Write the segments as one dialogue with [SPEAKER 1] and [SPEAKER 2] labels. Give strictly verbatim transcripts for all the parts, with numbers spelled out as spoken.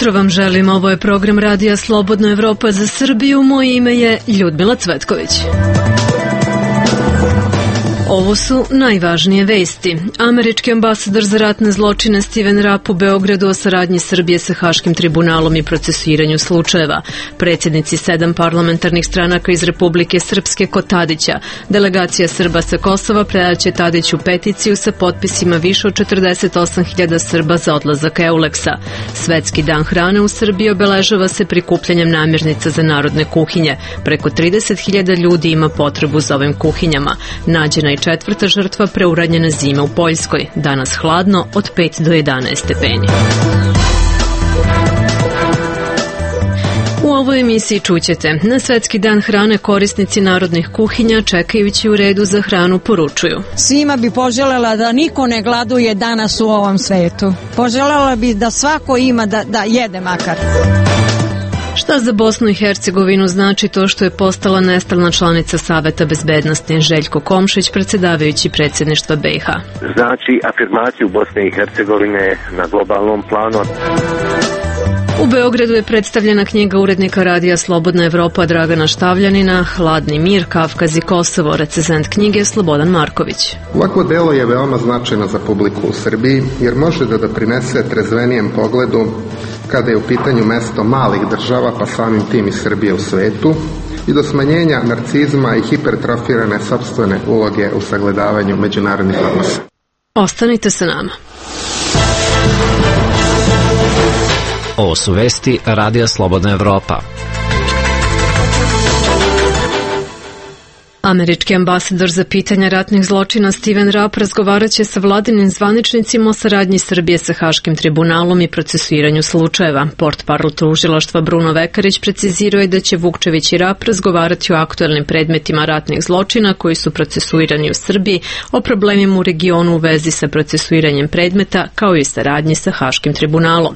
[SPEAKER 1] jutro vam želim, ovo je program Radija Slobodna Evropa za Srbiju, moje ime je Ljudmila Cvetković. Ovo su najvažnije vesti. Američki ambasador za ratne zločine Steven Rapp u Beogradu o saradnji Srbije sa Haškim tribunalom i procesuiranju slučajeva. Predsjednici sedam parlamentarnih stranaka iz Republike Srpske kod Tadića. Delegacija Srba sa Kosova predaće Tadiću peticiju sa potpisima više od četrdeset osam hiljada Srba za odlazak Euleksa. Svetski dan hrane u Srbiji obeležava se prikupljanjem namirnica za narodne kuhinje. Preko trideset hiljada ljudi ima potrebu za ovim kuhinjama. Nađena i četvrta žrtva preuranjena zima u Poljskoj. Danas hladno od pet do jedanaest stepeni. U ovoj emisiji čućete: na Svetski dan hrane korisnici narodnih kuhinja čekajući u redu za hranu poručuju:
[SPEAKER 2] svima bi poželjela da niko ne gladuje danas u ovom svetu. Poželjela bi da svako ima da, da jede makar.
[SPEAKER 1] Šta za Bosnu i Hercegovinu znači to što je postala nestalna članica Saveta bezbednosti? Željko Komšić, predsjedavajući predsjedništva B i H.
[SPEAKER 3] Znači afirmaciju Bosne i Hercegovine na globalnom planu.
[SPEAKER 1] U Beogradu je predstavljena knjiga urednika Radija Slobodna Evropa Dragana Štavljanina Hladni mir, Kavkaz i Kosovo. Recenzent knjige Slobodan Marković.
[SPEAKER 4] Ovako delo je veoma značajno za publiku u Srbiji jer može da doprinese trezvenijem pogledu kada je u pitanju mesto malih država, pa samim tim i Srbije u svetu, i do smanjenja narcizma i hipertrofirane sopstvene uloge u sagledavanju međunarodnih odnosa.
[SPEAKER 1] Ostanite sa nama.
[SPEAKER 5] Ovo su vesti Radija Slobodna Evropa.
[SPEAKER 1] Američki ambasador za pitanja ratnih zločina Steven Rapp razgovarat će sa vladinim zvaničnicima o saradnji Srbije sa Haškim tribunalom i procesuiranju slučajeva. Portparol tužilaštva Bruno Vekarić precizirao je da će Vukčević i Rapp razgovarati o aktuelnim predmetima ratnih zločina koji su procesuirani u Srbiji, o problemima u regionu u vezi sa procesuiranjem predmeta, kao i saradnji sa Haškim tribunalom.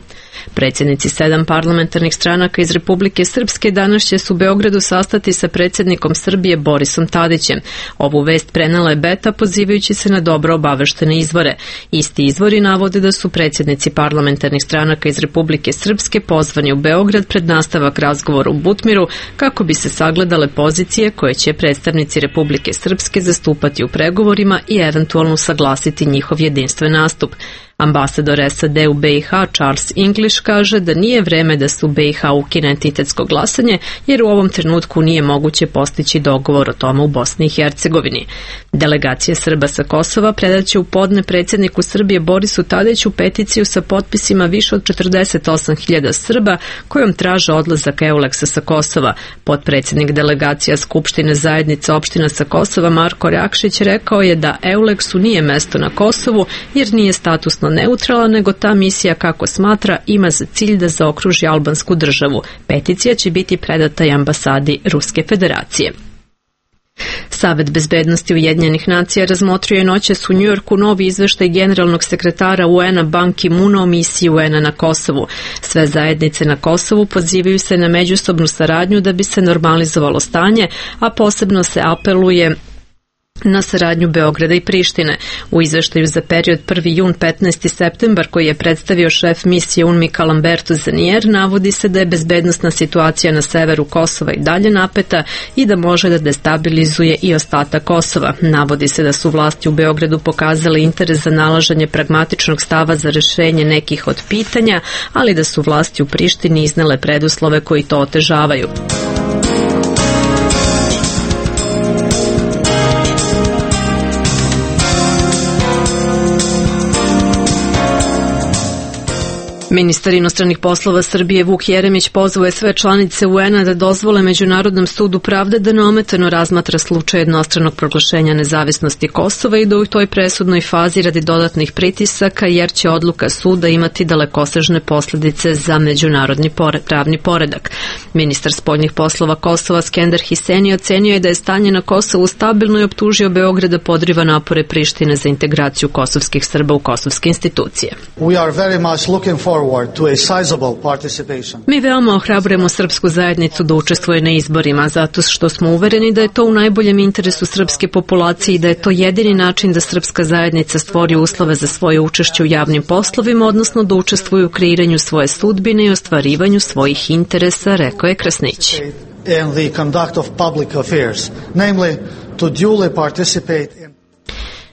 [SPEAKER 1] Predsjednici sedam parlamentarnih stranaka iz Republike Srpske danas će se u Beogradu sastati sa predsjednikom Srbije Borisom Tadićem. Ovu vest prenela je Beta pozivajući se na dobro obaveštene izvore. Isti izvori navode da su predsjednici parlamentarnih stranaka iz Republike Srpske pozvani u Beograd pred nastavak razgovora u Butmiru kako bi se sagledale pozicije koje će predstavnici Republike Srpske zastupati u pregovorima i eventualno saglasiti njihov jedinstven nastup. Ambasador S A D u B i H Charles English kaže da nije vreme da se u B i H ukine entitetsko glasanje jer u ovom trenutku nije moguće postići dogovor o tome u Bosni i Hercegovini. Delegacija Srba sa Kosova predaće u podne predsjedniku Srbije Borisu Tadiću peticiju sa potpisima više od četrdeset osam hiljada Srba kojom traže odlazak Euleksa sa Kosova. Potpredsjednik delegacija Skupštine zajednice opština sa Kosova Marko Rakšić rekao je da Euleksu nije mesto na Kosovu jer nije statusno neutralan, nego ta misija, kako smatra, ima za cilj da zaokruži albansku državu. Peticija će biti predata i ambasadi Ruske federacije. Savet bezbednosti Ujedinjenih nacija razmotrio je noćas u Njujorku novi izveštaj generalnog sekretara U N-a Ban Ki-moona o misiji U N-a na Kosovu. Sve zajednice na Kosovu pozivaju se na međusobnu saradnju da bi se normalizovalo stanje, a posebno se apeluje na saradnju Beograda i Prištine. U izveštaju za period prvi jun do petnaesti septembar koji je predstavio šef misije U N M I Lamberto Zanier navodi se da je bezbednosna situacija na severu Kosova i dalje napeta i da može da destabilizuje i ostatak Kosova. Navodi se da su vlasti u Beogradu pokazale interes za nalaženje pragmatičnog stava za rešenje nekih od pitanja, ali da su vlasti u Prištini iznele preduslove koji to otežavaju. Ministar inostranih poslova Srbije Vuk Jeremić pozvao je sve članice U N-a da dozvole Međunarodnom sudu pravde da neometano razmatra slučaj jednostranog proglašenja nezavisnosti Kosova i da u toj presudnoj fazi radi dodatnih pritisaka, jer će odluka suda imati dalekosežne posljedice za međunarodni pravni poredak. Ministar spoljnih poslova Kosova Skender Hiseni ocenio je da je stanje na Kosovu stabilno i optužio Beograd da podriva napore Prištine za integraciju kosovskih Srba u kosovske institucije.
[SPEAKER 6] We are very much looking for
[SPEAKER 1] Mi veoma ohrabrujemo srpsku zajednicu da učestvuje na izborima, zato što smo uvereni da je to u najboljem interesu srpske populacije i da je to jedini način da srpska zajednica stvori uslove za svoje učešće u javnim poslovima, odnosno da učestvuju u kreiranju svoje sudbine i ostvarivanju svojih interesa, rekao je Krasnić.
[SPEAKER 6] In the conduct of public affairs, namely to duly participate in.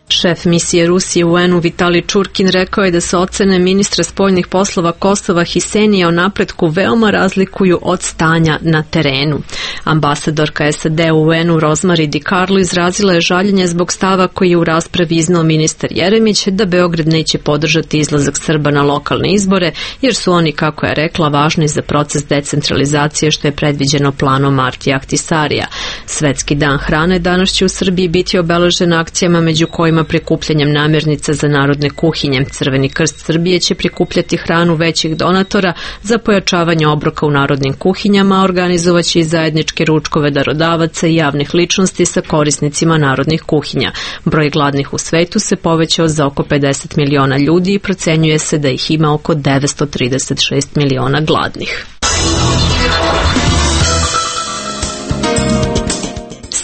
[SPEAKER 1] Šef misije Rusije u U N-u Vitali Čurkin rekao je da se ocene ministra spoljnih poslova Kosova Hisenija o napretku veoma razlikuju od stanja na terenu. Ambasadorka S A D u U N-u Rosemary DiCarlo izrazila je žaljenje zbog stava koji je u raspravi iznao ministar Jeremić da Beograd neće podržati izlazak Srba na lokalne izbore jer su oni, kako je rekla, važni za proces decentralizacije što je predviđeno planom Marti Ahtisarija. Svetski dan hrane danas će u Srbiji biti obeležen akcijama među kojima prikupljanjem namirnica za narodne kuhinje. Crveni krst Srbije će prikupljati hranu većih donatora za pojačavanje obroka u narodnim kuhinjama, a organizovaće i zajedničke ručkove darodavaca i javnih ličnosti sa korisnicima narodnih kuhinja. Broj gladnih u svetu se povećao za oko pedeset miliona ljudi i procenjuje se da ih ima oko devetsto trideset šest miliona gladnih.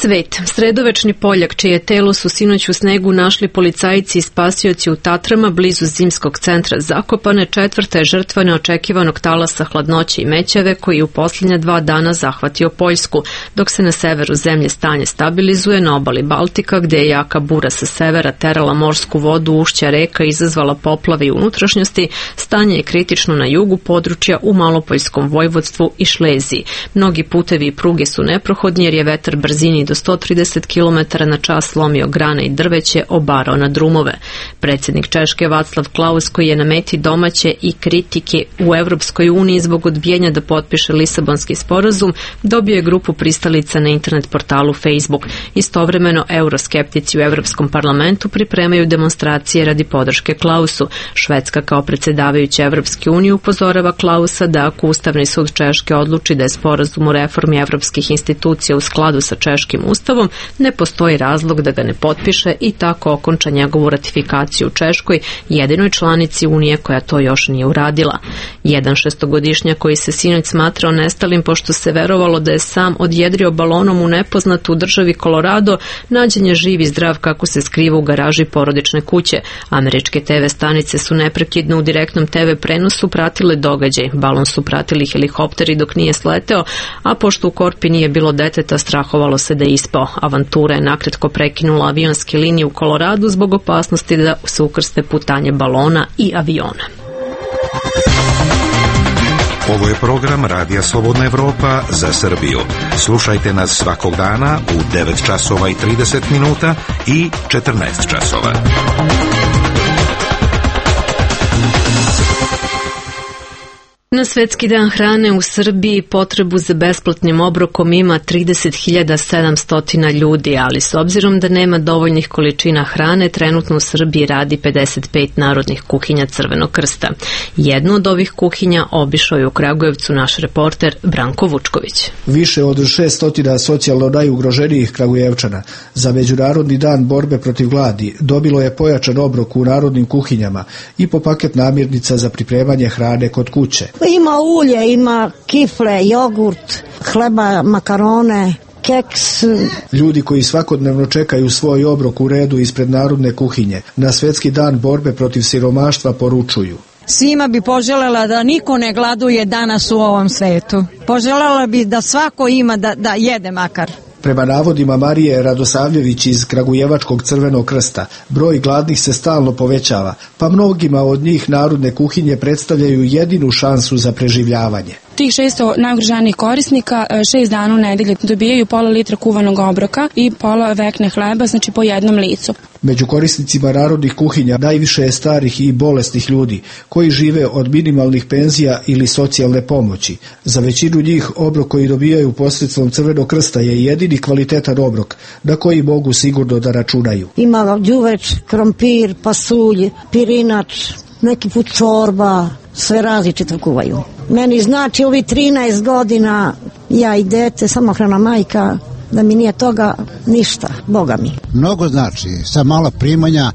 [SPEAKER 1] Svet. Sredovečni Poljak, čije telo su sinoć u snegu našli policajci i spasioci u Tatrama blizu zimskog centra Zakopane, četvrta je žrtva neočekivanog talasa hladnoće i mećave koji je u posljednja dva dana zahvatio Poljsku, dok se na severu zemlje stanje stabilizuje. Na obali Baltika, gde je jaka bura sa severa terala morsku vodu, ušća reka izazvala poplave i unutrašnjosti, stanje je kritično na jugu područja u Malopoljskom vojvodstvu i Šleziji. Mnogi putevi i pruge su neprohodni jer je vetar brzini do sto trideset kilometara na čas slomio grane i drveće, obarao na drumove. Predsjednik Češke Václav Klaus, koji je na meti domaće i kritike u Evropskoj uniji zbog odbijanja da potpiše Lisabonski sporazum, dobio je grupu pristalica na internet portalu Facebook. Istovremeno, euroskeptici u Evropskom parlamentu pripremaju demonstracije radi podrške Klausu. Švedska kao predsjedavajuća Evropske unije upozorava Klausa da ako Ustavni sud Češke odluči da je sporazum o reformi evropskih institucija u skladu sa češkim ustavom, ne postoji razlog da ga ne potpiše i tako okonča njegovu ratifikaciju u Češkoj, jedinoj članici Unije koja to još nije uradila. Jedan šestogodišnjak koji se sinoć smatrao nestalim pošto se verovalo da je sam odjedrio balonom u nepoznatu u državi Colorado, nađen je živ i zdrav kako se skriva u garaži porodične kuće. Američke te ve stanice su neprekidno u direktnom te ve prenosu pratile događaj. Balon su pratili helikopteri dok nije sleteo, a pošto u korpi nije bilo deteta, strahovalo se da je ispao. Avantura je nakratko prekinula avionske linije u Koloradu zbog opasnosti da se ukrste putanje balona i aviona.
[SPEAKER 7] Ovo je program Radija Slobodna Evropa za Srbiju. Slušajte nas svakog dana u devet časova i trideset minuta i četrnaest časova.
[SPEAKER 1] Na Svetski dan hrane u Srbiji potrebu za besplatnim obrokom ima trideset hiljada sedamsto ljudi, ali s obzirom da nema dovoljnih količina hrane, trenutno u Srbiji radi pedeset pet narodnih kuhinja Crvenog krsta. Jednu od ovih kuhinja obišao je u Kragujevcu naš reporter Branko Vučković.
[SPEAKER 8] Više od šesto socijalno najugroženijih Kragujevčana za Međunarodni dan borbe protiv gladi dobilo je pojačan obrok u narodnim kuhinjama i po paket namirnica za pripremanje hrane kod kuće.
[SPEAKER 2] Ima ulje, ima kifle, jogurt, hleba, makarone, keks.
[SPEAKER 8] Ljudi koji svakodnevno čekaju svoj obrok u redu ispred narodne kuhinje na Svetski dan borbe protiv siromaštva poručuju:
[SPEAKER 2] svima bi poželjela da niko ne gladuje danas u ovom svetu. Poželjela bi da svako ima da, da jede makar.
[SPEAKER 8] Prema navodima Marije Radosavljević iz Kragujevačkog Crvenog krsta, broj gladnih se stalno povećava, pa mnogima od njih narodne kuhinje predstavljaju jedinu šansu za preživljavanje.
[SPEAKER 9] Tih šesto najugroženijih korisnika šest dana u nedelje dobijaju pola litra kuvanog obroka i pola vekne hleba, znači po jednom licu.
[SPEAKER 8] Među korisnicima narodnih kuhinja najviše je starih i bolesnih ljudi koji žive od minimalnih penzija ili socijalne pomoći. Za većinu njih obrok koji dobijaju posredstvom Crvenog krsta je jedini kvalitetan obrok na koji mogu sigurno da računaju.
[SPEAKER 2] Ima đuveč, krompir, pasulj, pirinač, neki put čorba, sve različito kuvaju. Meni znači ovi trinaest godina, ja i dete, samohrana majka, da mi nije toga ništa, Boga mi.
[SPEAKER 10] Mnogo znači, sa mala primanja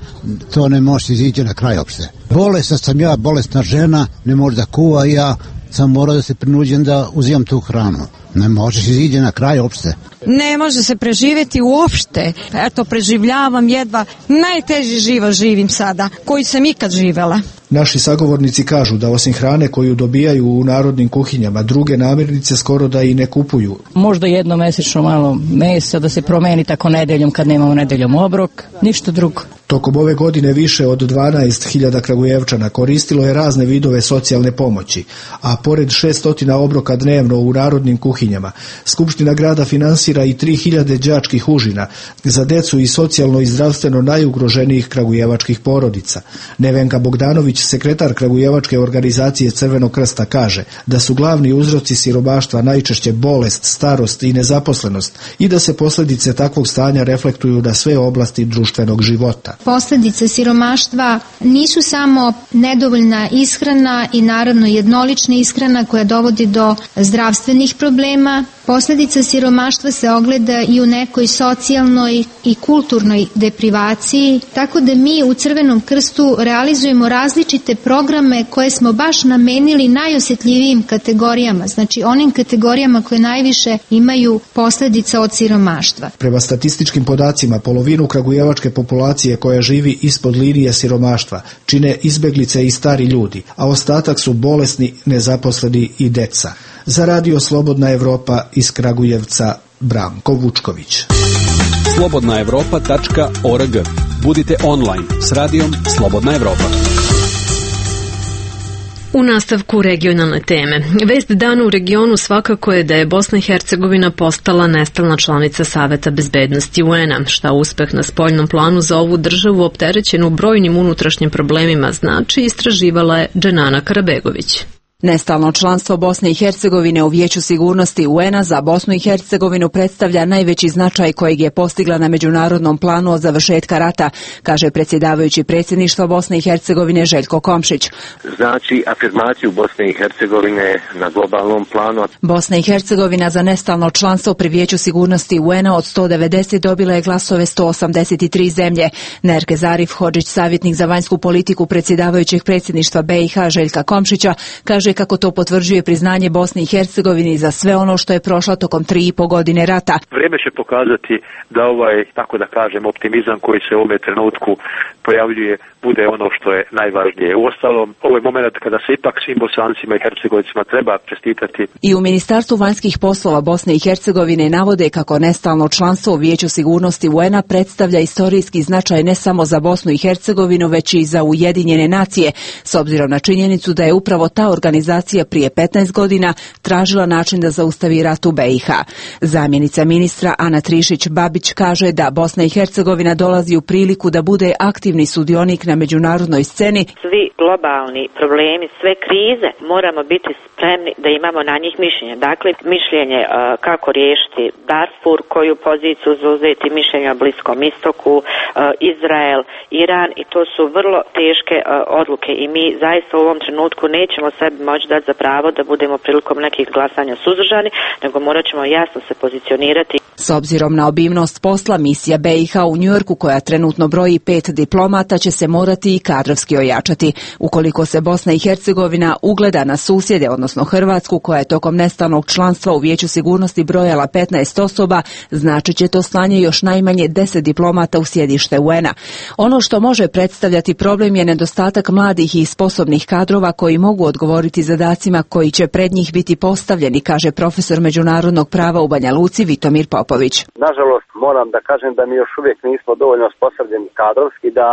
[SPEAKER 10] to ne može izići na kraj opšte. Bolesna sam ja, bolesna žena, ne može da kuva, ja sam morao da se prinuđem da uzimam tu hranu. Ne možeš izići na kraj opšte.
[SPEAKER 2] Ne može se preživjeti uopšte. Eto, preživljavam jedva. Najteži život živim sada, koji sam ikad živela.
[SPEAKER 8] Naši sagovornici kažu da osim hrane koju dobijaju u narodnim kuhinjama, druge namirnice skoro da i ne kupuju.
[SPEAKER 11] Možda jednomesečno malo mesa da se promeni tako nedeljom kad nemamo nedeljom obrok, ništa drugo.
[SPEAKER 8] Tokom ove godine više od dvanaest hiljada Kragujevčana koristilo je razne vidove socijalne pomoći, a pored šesnaest obroka dnevno u narodnim kuhinjama, Skupština grada finansira i tri hiljade đačkih užina za decu i socijalno i zdravstveno najugroženijih kragujevačkih porodica. Nevenka Bogdanović, sekretar Kragujevačke organizacije Crvenog krsta, kaže da su glavni uzroci siromaštva najčešće bolest, starost i nezaposlenost i da se posljedice takvog stanja reflektuju na sve oblasti društvenog života.
[SPEAKER 12] Posljedice siromaštva nisu samo nedovoljna ishrana i naravno jednolična ishrana koja dovodi do zdravstvenih problema. Posljedica siromaštva se ogleda i u nekoj socijalnoj i kulturnoj deprivaciji, tako da mi u Crvenom krstu realizujemo različite programe koje smo baš namenili najosjetljivijim kategorijama, znači onim kategorijama koje najviše imaju posljedica od siromaštva.
[SPEAKER 8] Prema statističkim podacima, polovinu kragujevačke populacije koja živi ispod linije siromaštva čine izbeglice i stari ljudi, a ostatak su bolesni, nezaposleni i deca. Za Radio Slobodna Evropa iz Kragujevca, Branko Vučković.
[SPEAKER 13] slobodna evropa tačka org. Budite online s radijom Slobodna Evropa.
[SPEAKER 1] U nastavku regionalne teme. Vest dana u regionu svakako je da je Bosna i Hercegovina postala nestalna članica Saveta bezbednosti U N A, šta uspeh na spoljnom planu za ovu državu opterećenu brojnim unutrašnjim problemima znači, istraživala je Dženana Karabegović.
[SPEAKER 14] Nestalno članstvo Bosne i Hercegovine u Vijeću sigurnosti U N A za Bosnu i Hercegovinu predstavlja najveći značaj kojeg je postigla na međunarodnom planu od završetka rata, kaže predsjedavajući predsjedništva Bosne i Hercegovine Željko Komšić.
[SPEAKER 3] Znači afirmaciju Bosne i Hercegovine na globalnom planu.
[SPEAKER 14] Bosna i Hercegovina za nestalno članstvo pri Vijeću sigurnosti U N A od sto devedeset dobila je glasove sto osamdeset tri zemlje. Nerke Zarif Hodžić, savjetnik za vanjsku politiku predsjedavajućeg predsjedništva B i H Željka Komšića, kaže kako to potvrđuje priznanje Bosni i Hercegovini za sve ono što je prošla tokom tri i po godine rata.
[SPEAKER 15] Vrijeme će pokazati da ovaj, tako da kažem, optimizam koji se u ovom trenutku pojavljuje bude ono što je najvažnije. Uostalom, ovo je moment kada se ipak svim Bosancima i Hercegovicima treba čestitati.
[SPEAKER 14] I u Ministarstvu vanjskih poslova Bosne i Hercegovine navode kako nestalno članstvo u Vijeću sigurnosti U N A predstavlja istorijski značaj ne samo za Bosnu i Hercegovinu, već i za Ujedinjene nacije, s obzirom na činjenicu da je upravo ta organizacija prije petnaest godina tražila način da zaustavi rat u B i H. Zamjenica ministra Ana Trišić-Babić kaže da Bosna i Hercegovina dolazi u priliku da bude aktivni sudionik na međunarodnoj sceni.
[SPEAKER 16] Svi globalni problemi, sve krize, moramo biti spremni da imamo na njih mišljenje. Dakle, mišljenje uh, kako riješiti Darfur, koju poziciju zauzeti, mišljenje o Bliskom istoku, uh, Izrael, Iran, i to su vrlo teške uh, odluke i mi zaista u ovom trenutku nećemo sebi moći dati za pravo da budemo prilikom nekih glasanja suzdržani, nego morat ćemo jasno se pozicionirati.
[SPEAKER 14] S obzirom na obimnost posla, misija B i H u Njujorku, koja trenutno broji pet diplomata, će se morati i kadrovski ojačati. Ukoliko se Bosna i Hercegovina ugleda na susjede, odnosno Hrvatsku, koja je tokom nestalnog članstva u Vijeću sigurnosti brojala petnaest osoba, znači će to slanje još najmanje deset diplomata u sjedište U N A. Ono što može predstavljati problem je nedostatak mladih i sposobnih kadrova koji mogu odgovoriti zadacima koji će pred njih biti postavljeni, kaže profesor međunarodnog prava u Banja Luci Vitomir Popović.
[SPEAKER 17] Nažalost, moram da kažem da mi još uvijek nismo dovoljno osposobljeni kadrovski, da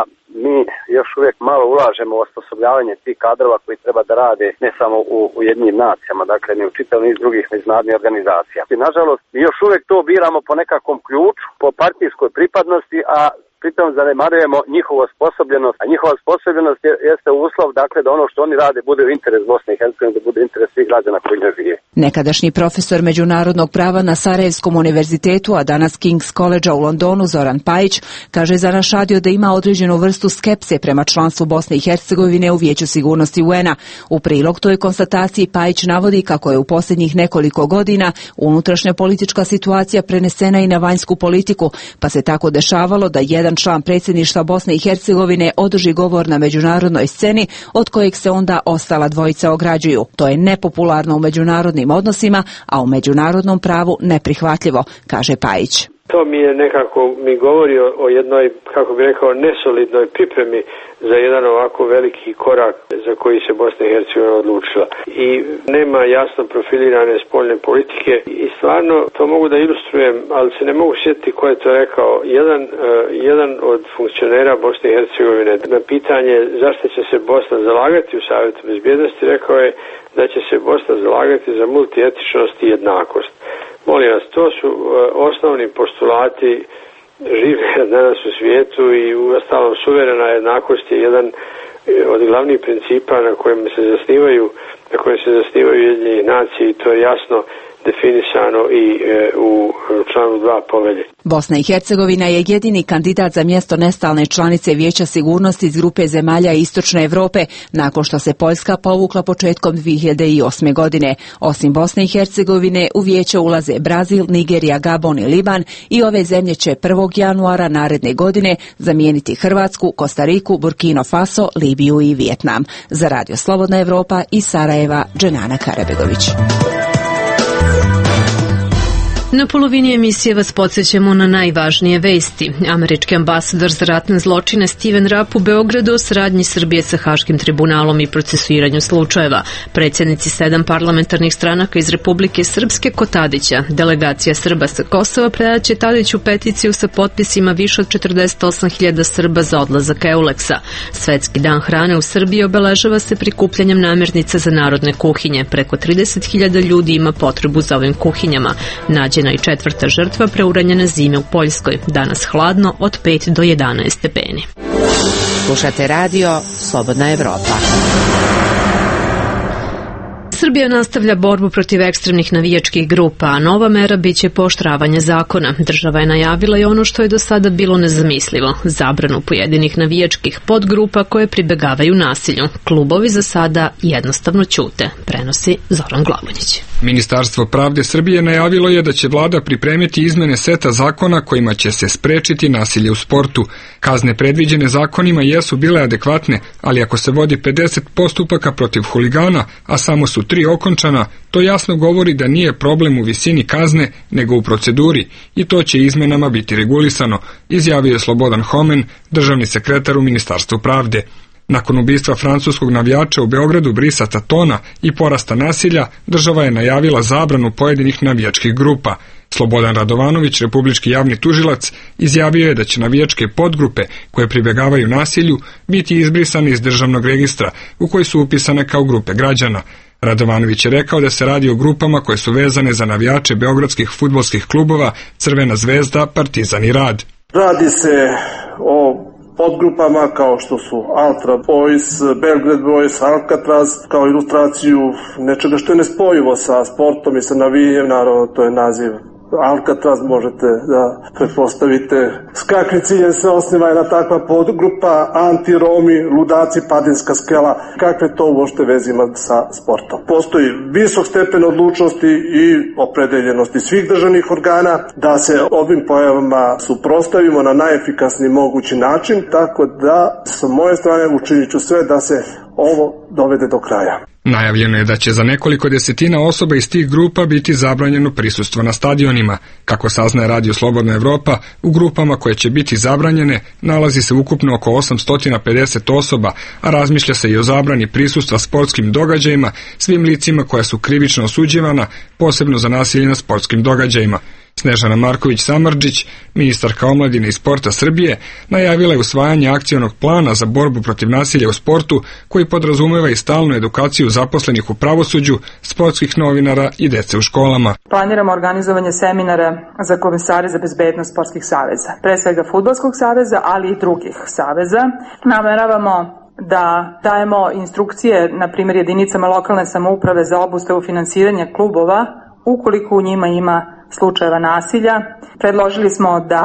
[SPEAKER 17] mi još uvijek malo ulažemo u osposobljavanje tih kadrova koji treba da rade ne samo u Ujedinjenim nacijama, dakle ni u čitav niz drugih međunarodnih organizacija. I nažalost, mi još uvijek to biramo po nekakvom ključu, po partijskoj pripadnosti, a pritom zanemarujemo njihovu osposobljenost, a njihova osposobljenost je, jeste uslov, dakle, da ono što oni rade bude u interes Bosne i Hercegovine, da bude interes svih građana koji ne žive.
[SPEAKER 14] Nekadašnji profesor međunarodnog prava na Sarajevskom univerzitetu, a danas King's College-a u Londonu, Zoran Pajić, kaže za naš radio da ima određenu vrstu skepse prema članstvu Bosne i Hercegovine u Vijeću sigurnosti U N-a. U prilog toj konstataciji Pajić navodi kako je u posljednjih nekoliko godina unutrašnja politička situacija prenesena i na vanjsku politiku, pa se tako dešavalo da jedan član predsjedništva Bosne i Hercegovine održi govor na međunarodnoj sceni od kojeg se onda ostala dvojica ograđuju. To je nepopularno u međunarodnim odnosima, a u međunarodnom pravu neprihvatljivo, kaže Pajić.
[SPEAKER 18] To mi je nekako, mi govori o, o jednoj, kako bi rekao, nesolidnoj pripremi za jedan ovako veliki korak za koji se Bosna i Hercegovina odlučila. I nema jasno profilirane spoljne politike i stvarno to mogu da ilustrujem, ali se ne mogu sjetiti ko je to rekao. Jedan, uh, jedan od funkcionera Bosne i Hercegovine na pitanje zašto će se Bosna zalagati u Savjetu bezbjednosti rekao je da će se Bosna zalagati za multietičnost i jednakost. Molim vas, to su uh, osnovni postulati žive danas u svijetu i u ostalom suverena jednakost je jedan od glavnih principa na kojem se zasnivaju, na kojem se zasnivaju Ujedinjene nacije i to je jasno definisano i e, u članu dva povelje.
[SPEAKER 14] Bosna i Hercegovina je jedini kandidat za mjesto nestalne članice Vijeća sigurnosti iz grupe zemalja Istočne Evrope nakon što se Poljska povukla početkom dvije hiljade osme. godine. Osim Bosne i Hercegovine u vijeće ulaze Brazil, Nigerija, Gabon i Liban i ove zemlje će prvog januara naredne godine zamijeniti Hrvatsku, Kostariku, Burkina Faso, Libiju i Vijetnam. Za Radio Slobodna Evropa iz Sarajeva, Dženana Karabegović.
[SPEAKER 1] Na polovini emisije vas podsjećamo na najvažnije vesti. Američki ambasador za ratne zločine Steven Rapp u Beogradu o saradnji Srbije sa Haškim tribunalom i procesuiranju slučajeva. Predsjednici sedam parlamentarnih stranaka iz Republike Srpske kod Tadića. Delegacija Srba sa Kosova predaće Tadiću peticiju sa potpisima više od četrdeset osam hiljada Srba za odlazak Euleksa. Svetski dan hrane u Srbiji obeležava se prikupljanjem namirnica za narodne kuhinje. Preko trideset hiljada ljudi ima potrebu za ovim kuhinjama. Nađe i četvrta žrtva preuranjene zime u Poljskoj. Danas hladno od pet do jedanaest stepeni.
[SPEAKER 19] Slušate radio Slobodna Evropa.
[SPEAKER 1] Srbija nastavlja borbu protiv ekstremnih navijačkih grupa, a nova mera biće pooštravanje zakona. Država je najavila i ono što je do sada bilo nezamislivo, zabranu pojedinih navijačkih podgrupa koje pribegavaju nasilju. Klubovi za sada jednostavno ćute, prenosi Zoran Glavonjić.
[SPEAKER 20] Ministarstvo pravde Srbije najavilo je da će vlada pripremiti izmene seta zakona kojima će se sprečiti nasilje u sportu. Kazne predviđene zakonima jesu bile adekvatne, ali ako se vodi pedeset postupaka protiv huligana, a samo su tri okončana, to jasno govori da nije problem u visini kazne, nego u proceduri i to će izmenama biti regulisano, izjavio je Slobodan Homen, državni sekretar u Ministarstvu pravde. Nakon ubistva francuskog navijača u Beogradu Brisa Tatona i porasta nasilja, država je najavila zabranu pojedinih navijačkih grupa. Slobodan Radovanović, republički javni tužilac, izjavio je da će navijačke podgrupe koje pribegavaju nasilju biti izbrisane iz državnog registra u koji su upisane kao grupe građana. Radovanović je rekao da se radi o grupama koje su vezane za navijače beogradskih fudbalskih klubova Crvena zvezda, Partizan i Rad.
[SPEAKER 21] Radi se o podgrupama kao što su Ultra Boys, Belgrade Boys, Alcatraz, kao ilustraciju nečega što je nespojivo sa sportom i sa navijanjem, naravno to je naziv Alcatraz, možete da pretpostavite s kakvim ciljem se osniva jedna takva podgrupa, anti-Romi, ludaci, Padinska skela, kakve to uopšte veze ima sa sportom. Postoji visok stepen odlučnosti i opredeljenosti svih državnih organa da se ovim pojavama suprotstavimo na najefikasniji mogući način, tako da sa moje strane učinit ću sve da se ovo dovede do kraja.
[SPEAKER 20] Najavljeno je da će za nekoliko desetina osoba iz tih grupa biti zabranjeno prisustvo na stadionima. Kako saznaje Radio Slobodna Evropa, u grupama koje će biti zabranjene nalazi se ukupno oko osamsto pedeset osoba, a razmišlja se i o zabrani prisustva sportskim događajima svim licima koja su krivično osuđivana, posebno za nasilje na sportskim događajima. Snežana Marković-Samardžić, ministarka omladine i sporta Srbije, najavila je usvajanje akcionog plana za borbu protiv nasilja u sportu koji podrazumeva i stalnu edukaciju zaposlenih u pravosuđu, sportskih novinara i dece u školama.
[SPEAKER 4] Planiramo organizovanje seminara za komesare za bezbednost sportskih saveza, pre svega Fudbalskog saveza, ali i drugih saveza. Nameravamo da dajemo instrukcije, na primjer, jedinicama lokalne samouprave za obustavu finansiranja klubova ukoliko u njima ima slučajeva nasilja. Predložili smo da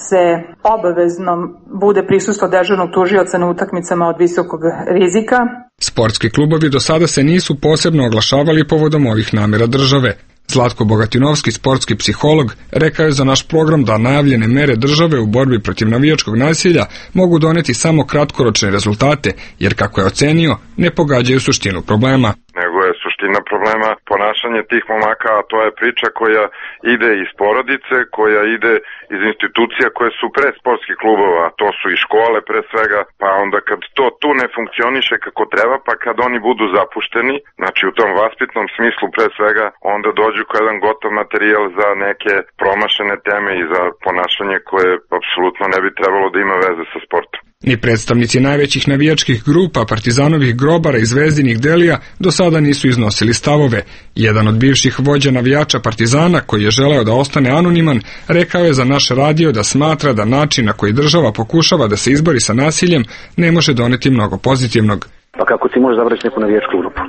[SPEAKER 4] se obavezno bude prisustvo dežurnog tužioca na utakmicama od visokog rizika.
[SPEAKER 20] Sportski klubovi do sada se nisu posebno oglašavali povodom ovih namera države. Zlatko Bogatinovski, sportski psiholog, rekao je za naš program da najavljene mere države u borbi protiv navijačkog nasilja mogu doneti samo kratkoročne rezultate, jer kako je ocenio, ne pogađaju suštinu problema.
[SPEAKER 22] Nego je suština problema ponašanje tih momaka, a to je priča koja ide iz porodice, koja ide iz institucija koje su pre sportskih klubova, to su i škole pre svega, pa onda kad to tu ne funkcioniše kako treba, pa kad oni budu zapušteni, znači u tom vaspitnom smislu pre svega, onda dođu kao jedan gotov materijal za neke promašene teme i za ponašanje koje apsolutno ne bi trebalo da ima veze sa sportom.
[SPEAKER 20] Ni predstavnici najvećih navijačkih grupa, Partizanovih grobara i Zvezdinih Delija do sada nisu iznosili stavove. Jedan od bivših vođa navijača Partizana, koji je želeo da ostane anoniman, rekao je za naš radio da smatra da način na koji država pokušava da se izbori sa nasiljem ne može doneti mnogo pozitivnog.
[SPEAKER 23] Pa kako ti možeš zabrati neku navijačku grupu?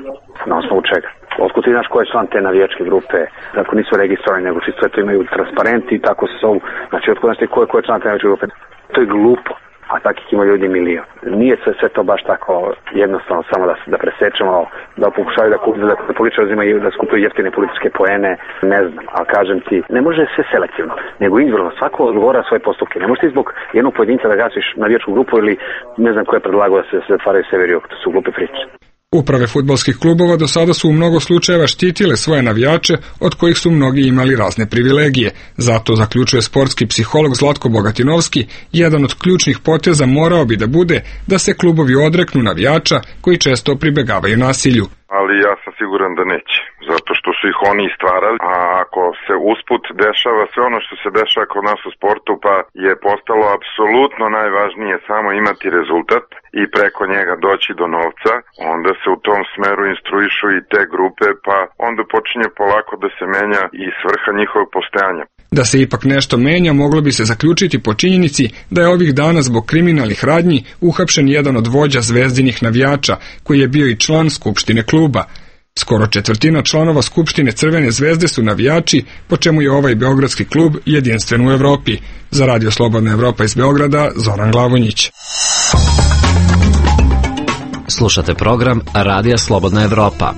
[SPEAKER 23] Na osnovu čega? Otkud ti znaš ko je član te navijačke grupe? Tako nisu registrovani, nego čisto eto imaju transparenti i tako se zovu. Znači otkud znaš ti ko je, ko je član te navijačke grupe? To je glupo. A takih ima ljudi milion. Nije sve, sve to baš tako jednostavno samo da, da presečemo, da pokušaju da, da, da političari uzimaju, da skupuju jeftine političke poene, ne znam, ali kažem ti, ne može sve selektivno, nego individualno, svako odgovara svoje postupke. Ne možeš ti zbog jednog pojedinca da gasiš navijačku grupu ili ne znam ko je predlagao da se zatvaraju severi, to su glupe priče.
[SPEAKER 20] Uprave fudbalskih klubova do sada su u mnogo slučajeva štitile svoje navijače, od kojih su mnogi imali razne privilegije. Zato, zaključuje sportski psiholog Zlatko Bogatinovski, jedan od ključnih poteza morao bi da bude da se klubovi odreknu navijača koji često pribegavaju nasilju.
[SPEAKER 22] Ali ja sam siguran da neće, zato što su ih oni stvarali, a ako se usput dešava sve ono što se dešava kod nas u sportu, pa je postalo apsolutno najvažnije samo imati rezultat i preko njega doći do novca, onda se u tom smeru instruišu i te grupe, pa onda počinje polako da se menja i svrha njihovog postojanja.
[SPEAKER 20] Da se ipak nešto menja, moglo bi se zaključiti po činjenici da je ovih dana zbog kriminalnih radnji uhapšen jedan od vođa Zvezdinih navijača, koji je bio i član Skupštine kluba. Skoro četvrtina članova Skupštine Crvene zvezde su navijači, po čemu je ovaj beogradski klub jedinstven u Evropi. Za Radio Slobodna Evropa iz Beograda, Zoran Glavonjić.
[SPEAKER 5] Slušate program Radija Slobodna Evropa.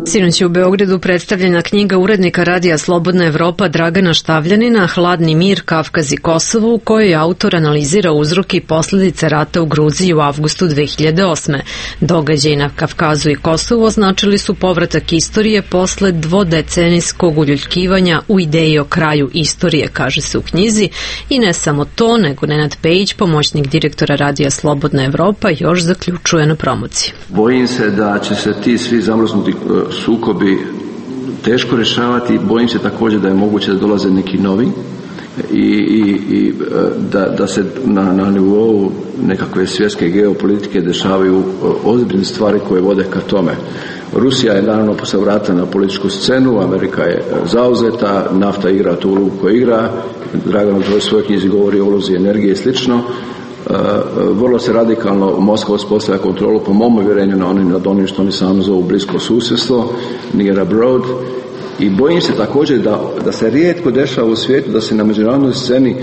[SPEAKER 1] Sinoć je u Beogradu predstavljena knjiga urednika Radija Slobodna Evropa Dragana Štavljanina Hladni mir, Kavkaz i Kosovo, u kojoj autor analizira uzroke i posljedice rata u Gruziji u avgustu dve hiljade osme. Događaji na Kavkazu i Kosovu označili su povratak istorije posle dvodecenijskog uljuljkivanja u ideji o kraju istorije, kaže se u knjizi, i ne samo to, nego Nenad Pejić, pomoćnik direktora Radija Slobodna Evropa, još zaključuje na promociji.
[SPEAKER 24] Bojim se da će se ti svi zamrznuti sukobi teško rješavati. Bojim se također da je moguće da dolaze neki novi i, i, i da, da se na, na nivou nekakve svjetske geopolitike dešavaju ozbiljne stvari koje vode ka tome. Rusija je naravno posle vrata na političku scenu, Amerika je zauzeta, nafta igra tu ulogu koju igra, Dragan u svojoj knjizi govori o ulozi energije i slično. Uh, vrlo se radikalno Moskva uspostavlja kontrolu, po mom uvjerenju, na onim, nad onim što oni sami zovu blisko susjedstvo, near abroad, i bojim se također da, da se rijetko dešava u svijetu da se na međunarodnoj sceni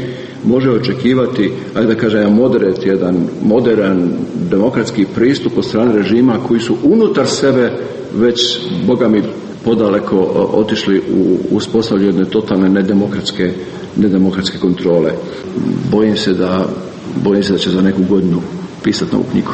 [SPEAKER 24] može očekivati, ajde da kažem, moderat, jedan modern demokratski pristup od strane režima koji su unutar sebe već, boga mi, podaleko otišli u uspostavljanju jedne totalne nedemokratske, nedemokratske kontrole. Bojim se da Bojim se da će za neku godinu pisati novu knjigu.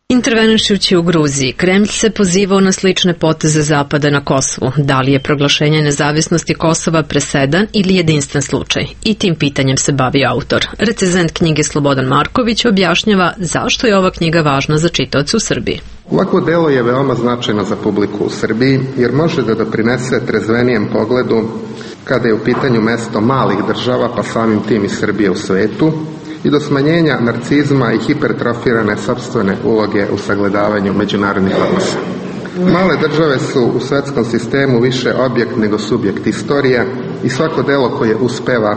[SPEAKER 1] Intervenišući u Gruziji, Kremlj se pozivao na slične poteze Zapada na Kosovu. Da li je proglašenje nezavisnosti Kosova presedan ili jedinstven slučaj? I tim pitanjem se bavi autor. Recenzent knjige Slobodan Marković objašnjava zašto je ova knjiga važna za čitaoce u Srbiji.
[SPEAKER 6] Ovako delo je veoma značajno za publiku u Srbiji jer može da doprinese trezvenijem pogledu kada je u pitanju mesto malih država, pa samim tim i Srbije u svetu, i do smanjenja narcizma i hipertrofirane sopstvene uloge u sagledavanju međunarodnih odnosa. Male države su u svetskom sistemu više objekt nego subjekt istorije i svako delo koje uspeva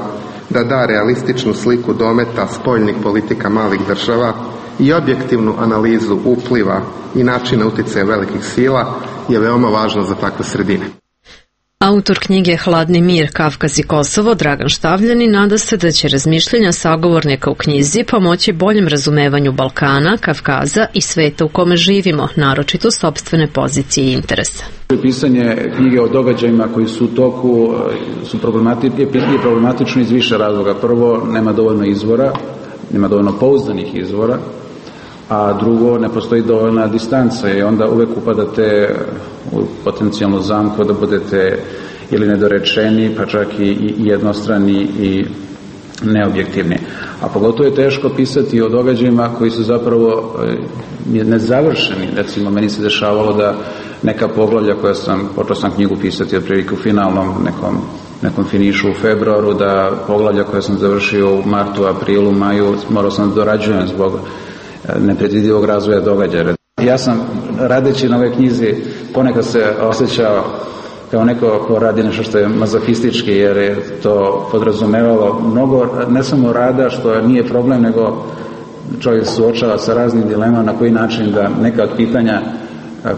[SPEAKER 6] da da realističnu sliku dometa spoljnih politika malih država i objektivnu analizu upliva i načina uticaja velikih sila je veoma važno za takve sredine.
[SPEAKER 1] Autor knjige Hladni mir, Kavkaz i Kosovo, Dragan Štavljanin, nada se da će razmišljenja sagovornika u knjizi pomoći boljem razumevanju Balkana, Kavkaza i sveta u kome živimo, naročito sopstvene pozicije i interesa.
[SPEAKER 7] Pisanje knjige o događajima koji su u toku su problematični, je problematično iz više razloga. Prvo, nema dovoljno izvora, nema dovoljno pouzdanih izvora, a drugo, ne postoji dovoljna distanca i onda uvek upadate u potencijalnu zamku da budete ili nedorečeni, pa čak i, i jednostrani i neobjektivni. A pogotovo je teško pisati o događajima koji su zapravo nezavršeni. Recimo, meni se dešavalo da neka poglavlja koja sam, počeo sam knjigu pisati otprilike u finalnom nekom, nekom finišu u februaru, da poglavlja koja sam završio u martu, aprilu, maju, morao sam da dorađujem zbog nepredvidivog razvoja događaja. Ja sam, radeći na ovoj knjizi, ponekad se osjećao kao neko ko radi nešto što je mazohistički, jer je to podrazumevalo mnogo, ne samo rada, što nije problem, nego čovjek suočava sa raznim dilemama na koji način da neka od pitanja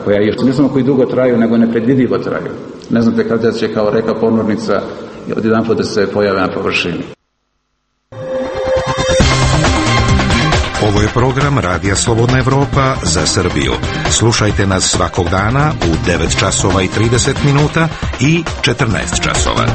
[SPEAKER 7] koja još ne samo koji dugo traju, nego nepredvidivo traju. Ne znate kada će kao reka ponornica odjedanput da se pojave na površini.
[SPEAKER 9] Ovo je program Radija Slobodna Evropa za Srbiju. Slušajte nas svakog dana u devet časova i trideset minuta i četrnaest časova.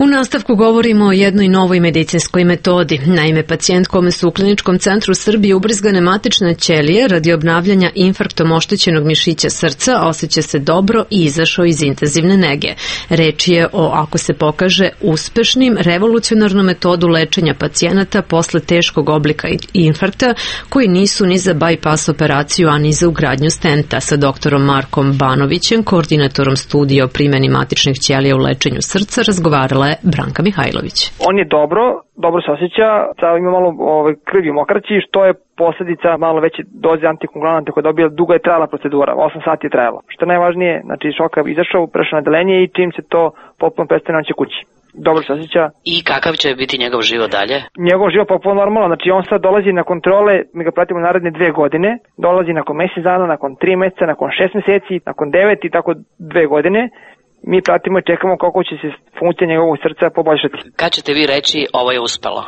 [SPEAKER 1] U nastavku govorimo o jednoj novoj medicinskoj metodi. Naime, pacijent kome su u Kliničkom centru Srbije ubrizgane matične ćelije radi obnavljanja infarktom oštećenog mišića srca osjeća se dobro i izašao iz intenzivne nege. Reč je o, ako se pokaže, uspešnim revolucionarnom metodu lečenja pacijenata posle teškog oblika infarkta koji nisu ni za bypass operaciju, a ni za ugradnju stenta. Sa doktorom Markom Banovićem, koordinatorom studija o primjeni matičnih ćelija u lečenju srca, razgovarala Branka Mihajlović.
[SPEAKER 10] On je dobro, dobro se osjeća, ima malo ovaj, krvi mokraći, što je posljedica malo veće doze antikoagulanata koje dobija. Dugo je trajala procedura, osam sati je trajalo. Što je najvažnije, znači šok je izašao, prešao na odeljenje i čim se to potpuno prestane, on će kući. Dobro se osjeća.
[SPEAKER 25] I kakav će biti njegov život dalje?
[SPEAKER 10] Njegov život potpuno normalno, znači on sad dolazi na kontrole, mi ga pratimo naredne dve godine, dolazi nakon mjesec dana, nakon tri mjeseca, nakon šest mjeseci, nakon devet i tako dve godine. Mi pratimo i čekamo kako će se funkcija njegovog srca poboljšati.
[SPEAKER 25] Kad ćete vi reći ovo je uspelo?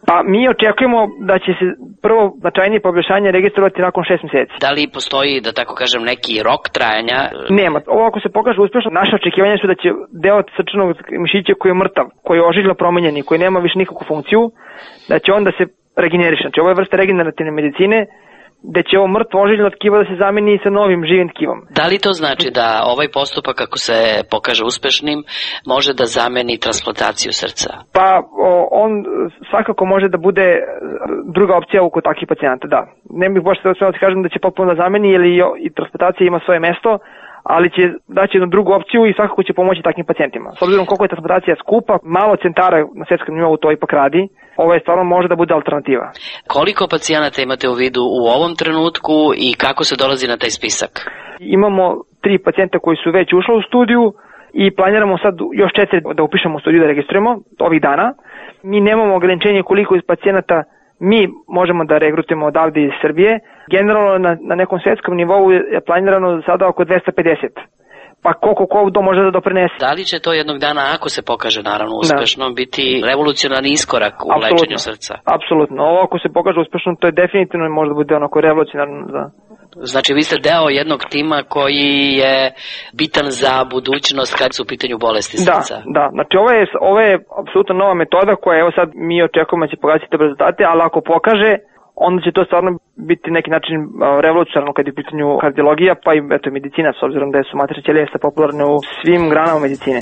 [SPEAKER 10] Pa mi očekujemo da će se prvo značajnije poboljšanje registrovati nakon šest mjeseci.
[SPEAKER 25] Da li postoji, da tako kažem, neki rok trajanja?
[SPEAKER 10] Nema. Ovo ako se pokaže uspešno, naše očekivanja su da će deo srčanog mišića koji je mrtav, koji je ožiljno promenjen i koji nema više nikakvu funkciju, da će onda se regeneriše. Znači ovo je vrsta regenerativne medicine, da će ovo mrtvo ožiljno tkivo da se zameni sa novim živim tkivom.
[SPEAKER 25] Da li to znači da ovaj postupak, ako se pokaže uspešnim, može da zameni transplantaciju srca?
[SPEAKER 10] Pa o, on svakako može da bude druga opcija oko takvih pacijenata, da. Ne bih baš sve da kažem da će potpuno da zameni, jer i transplantacija ima svoje mesto, ali će daći jednu drugu opciju i svakako će pomoći takvim pacijentima. S obzirom koliko je transplantacija skupa, malo centara na svjetskom nivou to ipak radi, ovo je stvarno može da bude alternativa.
[SPEAKER 25] Koliko pacijenata imate u vidu u ovom trenutku i kako se dolazi na taj spisak?
[SPEAKER 10] Imamo tri pacijenta koji su već ušli u studiju i planiramo sad još četiri da upišemo u studiju, da registrujemo ovih dana. Mi nemamo ograničenje koliko iz pacijenata mi možemo da regrutujemo odavde iz Srbije. Generalno na, na nekom svjetskom nivou je planirano sada oko dvesta pedeset. Pa koliko ko to može da doprinese.
[SPEAKER 25] Da li će to jednog dana, ako se pokaže naravno uspešno, da. biti revolucionarni iskorak u
[SPEAKER 10] Absolutno.
[SPEAKER 25] lečenju srca?
[SPEAKER 10] Apsolutno. Ovo ako se pokaže uspešno, to je definitivno može da bude onako revolucionarno za...
[SPEAKER 25] Znači vi ste deo jednog tima koji je bitan za budućnost kad su u pitanju bolesti srca.
[SPEAKER 10] Da, da. Znači ovo je, ovo je apsolutno nova metoda koja evo sad mi očekujemo da će pokazati te rezultate, ali ako pokaže, onda će to stvarno biti neki način revolucionarno kad je u pitanju kardiologija, pa i eto, medicina, s obzirom da su matične ćelije popularne u svim granama medicine.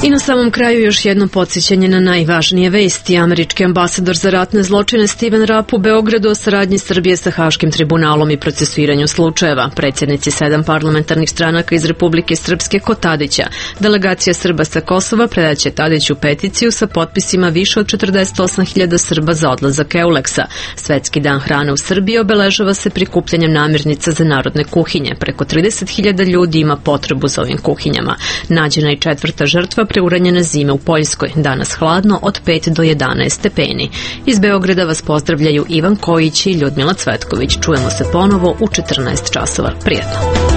[SPEAKER 1] I na samom kraju još jedno podsjećanje na najvažnije vesti. Američki ambasador za ratne zločine Steven Rapp u Beogradu o saradnji Srbije sa Haškim tribunalom i procesuiranju slučajeva. Predsjednici sedam parlamentarnih stranaka iz Republike Srpske kod Tadića. Delegacija Srba sa Kosova predaće Tadiću peticiju sa potpisima više od četrdeset osam hiljada Srba za odlazak Euleksa. Svetski dan hrane u Srbiji obeležava se prikupljanjem namirnica za narodne kuhinje. Preko trideset hiljada ljudi ima potrebu za ovim kuhinjama. Nađena i četvrta žrtva preuranjene zime u Poljskoj. Danas hladno od pet do jedanaest stepeni. Iz Beograda vas pozdravljaju Ivan Kojić i Ljudmila Cvetković. Čujemo se ponovo u četrnaest časova. Prijetno.